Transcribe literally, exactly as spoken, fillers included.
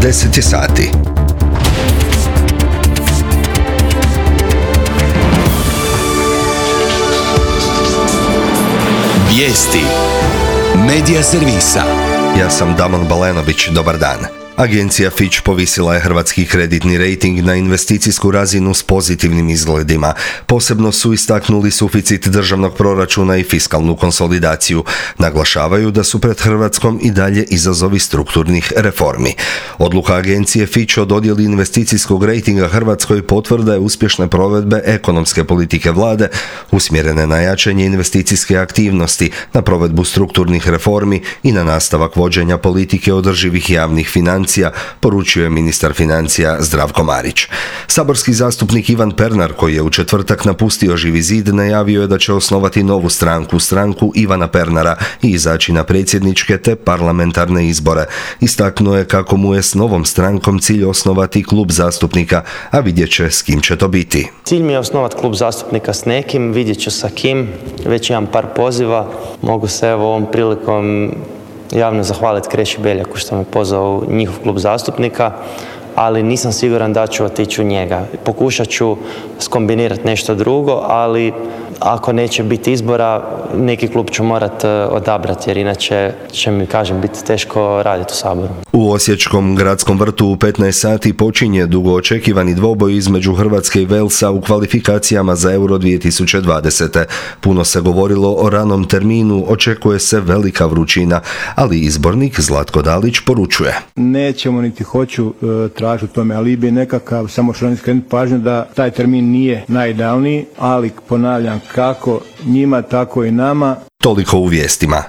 deset je sati. Vijesti Medija servisa. Ja sam Damon Balenović, dobar dan. Agencija Fitch povisila je hrvatski kreditni rejting na investicijsku razinu s pozitivnim izgledima. Posebno su istaknuli suficit državnog proračuna i fiskalnu konsolidaciju. Naglašavaju da su pred Hrvatskom i dalje izazovi strukturnih reformi. Odluka agencije Fitch o dodjeli investicijskog rejtinga Hrvatskoj potvrda je uspješne provedbe ekonomske politike vlade, usmjerene na jačanje investicijske aktivnosti, na provedbu strukturnih reformi i na nastavak vođenja politike održivih javnih financija, poručio je ministar financija Zdravko Marić. Saborski zastupnik Ivan Pernar, koji je u četvrtak napustio Živi zid, najavio je da će osnovati novu stranku, stranku Ivana Pernara, i izaći na predsjedničke te parlamentarne izbore. Istaknuo je kako mu je s novom strankom cilj osnovati klub zastupnika, a vidjet će s kim će to biti. Cilj mi je osnovati klub zastupnika s nekim, vidjet ću sa kim, već imam par poziva, mogu se evo ovom prilikom javno zahvaliti Kreši Beljaku što me pozvao u njihov klub zastupnika, ali nisam siguran da ću otići u njega. Pokušat ću skombinirati nešto drugo, ali ako neće biti izbora, neki klub ću morati odabrati, jer inače će mi, kažem, biti teško raditi u Saboru. U Osječkom gradskom vrtu u petnaest sati počinje dugo očekivani dvoboj između Hrvatske i Walesa u kvalifikacijama za Euro dvije tisuće dvadesete. Puno se govorilo o ranom terminu, očekuje se velika vrućina, ali izbornik Zlatko Dalić poručuje: nećemo niti hoću e, tražiti u tome alibi nekakav, samo što skrenuti pažnju da taj termin nije najidealniji, ali ponavljam, kako njima, tako i nama. Toliko u vijestima.